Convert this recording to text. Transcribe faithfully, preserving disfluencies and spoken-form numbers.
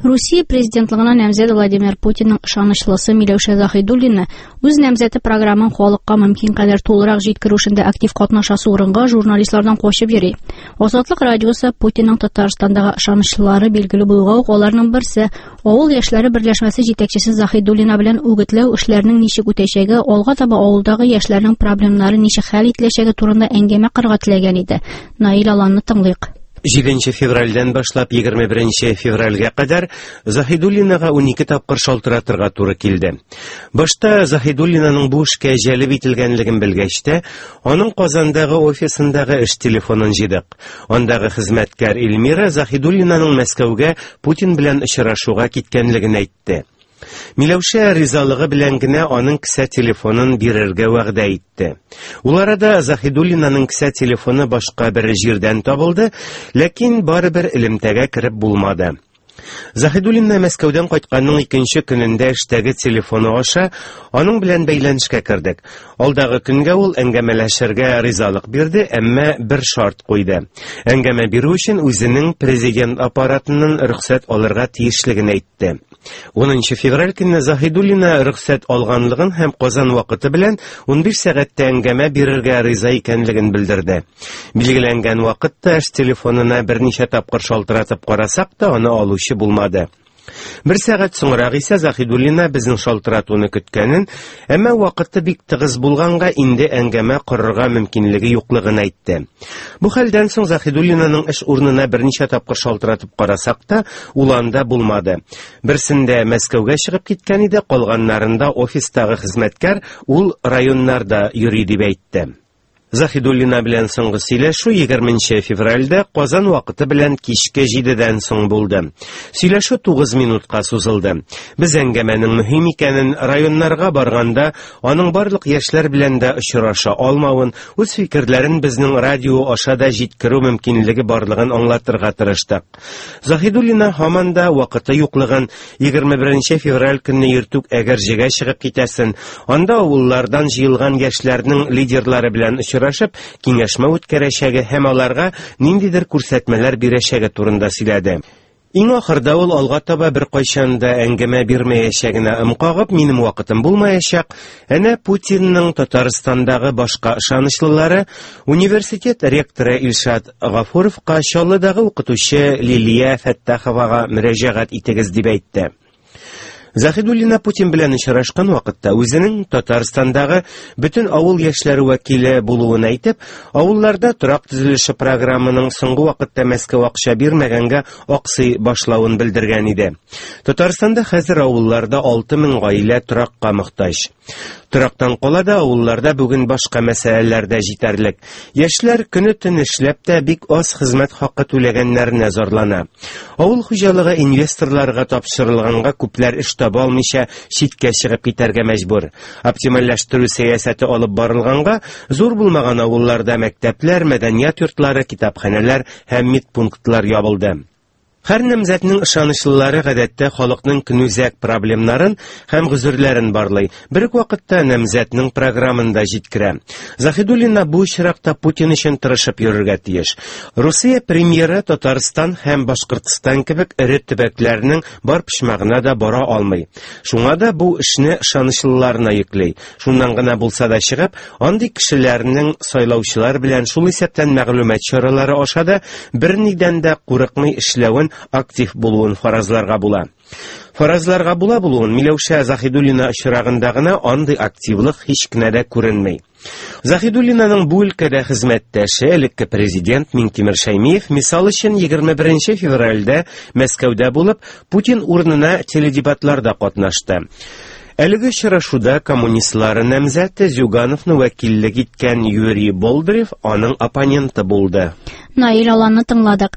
Русия президентлыгына намзәт Владимир Путинның ышанычлысы Миләүшә Заһидуллина үз намзәте програмын халыкка мөмкин кадәр тулырак җиткерү эшендә актив катнашасы урынга журналистлардан качып йөри. Азатлык радиосы Путинның Татарстандагы ышанычлылары билгеле булуга ук аларның берсе Авыл яшьләре берләшмәсе җитәкчесе Заһидуллина белән үгетләү эшләренең ничек үтәчәге, алга таба авылдагы яшьләрнең проблемнары ничек хәл ителәчәге турында әңгәмә корырга теләгән иде. Наил Аланны тыңлыйк. Җиденче февральдән башлап егерме беренче февральгә кадәр Заһидуллинага унике тапкыр шалтыратырга туры килде. Башта Заһидуллинаның бу эшкә җәлеп ителгәнлеген белгәч тә, аның Казандагы офисындагы эш телефонын җыйдык. Андагы хезмәткәр Эльмира Заһидуллинаның Мәскәүгә Путин белән очрашуга киткәнлеген әйтте. Миләүшә ризалыгы белән генә аның кесә телефонын бирергә вәгъдә итте. Ул арада Заһидуллинаның кесә телефоны башка бер җирдән табылды, ләкин барыбер элемтәгә кереп булмады. Заһидуллина Мәскәүдән кайтканның икенче көнендә эштәге телефоны аша аның белән бәйләнешкә кердек. Алдагы көнгә ул әңгәмәләшергә ризалык бирде, әмма бер шарт куйды. Әңгәмә бирү өчен үзенең президент аппаратыннан рөхсәт алырга тиешлеген әйтте. Унынчы февраль көнне Заһидуллина рөхсәт алганлыгын һәм Казан вакыты белән унбиш сәгатьтә әңгәмә бирергә риза икәнлеген белдерде. Билгеләнгән вакытта эш телефонына берничә тапкыр шалтыратып карасак та аны алучы булмады. Бер сәгать соңрак исә Заһидуллина безнең шалтыратуны көткәнен, әмма вакыты бик тыгыз булганга инде әңгәмә корырга мөмкинлеге юклыгын әйтте. Бу хәлдән соң Заһидуллинаның эш урынына берничә тапкыр шалтыратып карасак та, ул анда булмады. Берсендә Мәскәүгә чыгып киткән иде, калганнарында офистагы хезмәткәр ул районнарда йөри дип әйтте. Заһидуллина белән соңгы сөйләшү егерменче февральдә Казан вакыты белән кичке җидедән соң булды. Сөйләшү тугыз минутка сузылды. Без әңгәмәнең мөһим икәнен, районнарга барганда аның барлык яшьләр белән дә очраша алмавын, үз фикерләрен безнең радио аша да җиткерү мөмкинлеге барлыгын аңлатырга тырыштык. Заһидуллина һаман да вакыты юклыгын, егерме беренче февраль көнне иртүк Әгерҗегә чыгып китәсен, анда авыллардан җыелган яшьләрнең лидерлары белән очрашып, киңәшмә үткәрәчәге һәм аларга ниндидер күрсәтмәләр бирәчәге турында сөйләде. Иң ахырда ул алга таба бер кайчан да әңгәмә бирмәячәгенә ым кагып, минем вакытым булмаячак, әнә Путинның Татарстандагы башка ышанычлылары университет ректоры Илшат Гафуровка, Чаллыдагы укытучы Лилия Фәттаховага мөрәҗәгать итегез дип әйтте. Заһидуллина Путин белән очрашкан вакытта үзенең Татарстандагы бөтен авыл яшьләре вәкиле булуын әйтеп, авылларда торак төзелеше программаның соңгы вакытта Мәскәү акча бирмәгәнгә аксый башлавын белдергән иде. Татарстанда хәзер авылларда алты мең гаилә торакка мохтаҗ. Торактан кала да авылларда бүген башка мәсьәләләр дә җитәрлек. Яшьләр көне-төн эшләп тә бик аз хезмәт хакы түләгәннәренә зарлана. Авыл хуҗалыгы инвесторларга тапшырылганга күпләр эш таба алмыйча читкә чыгып китәргә мәҗбүр. Оптимальләштерү сәясәте алып барылганга зур булмаган авылларда мәктәпләр, мәдәният йортлары, китапханәләр һәм медпунктлар ябылды. Һәр намзәтнең ышанычлылары гадәттә халыкның көнүзәк проблемнарын һәм гозерләрен барлый. Бер үк вакытта намзәтнең програмын да җиткерә. Заһидуллина бу очракта Путин өчен тырышып йөрергә тиеш. Русия премьеры Татарстан һәм Башкортстан кебек эре төбәкләрнең бар почмагына да бара алмый. Шуңа да бу эшне ышанычлыларына йөкли. Шуннан гына булса да чыгып, андый кешеләрнең сайлаучылар белән шул исәптән мәгълүмат чаралары аша да бернидән дә курыкмый эшләвен, актив булуын фаразларга була. Фаразларга була булуын Миләүшә Заһидуллина очрагында гына андый активлык һич кенә дә күренми. Заһидуллинаның бу өлкәдә хезмәттәше элекке президент Миңтимер Шәймиев мисал өчен егерме беренче февральдә Мәскәүдә булып, Путин урынына теледебатларда катнашты. Әлеге очрашуда коммунистлар намзәте Зюгановны вәкиллек иткән Юрий Болдырев аның оппоненты булды. Наил Аланны тыңладык.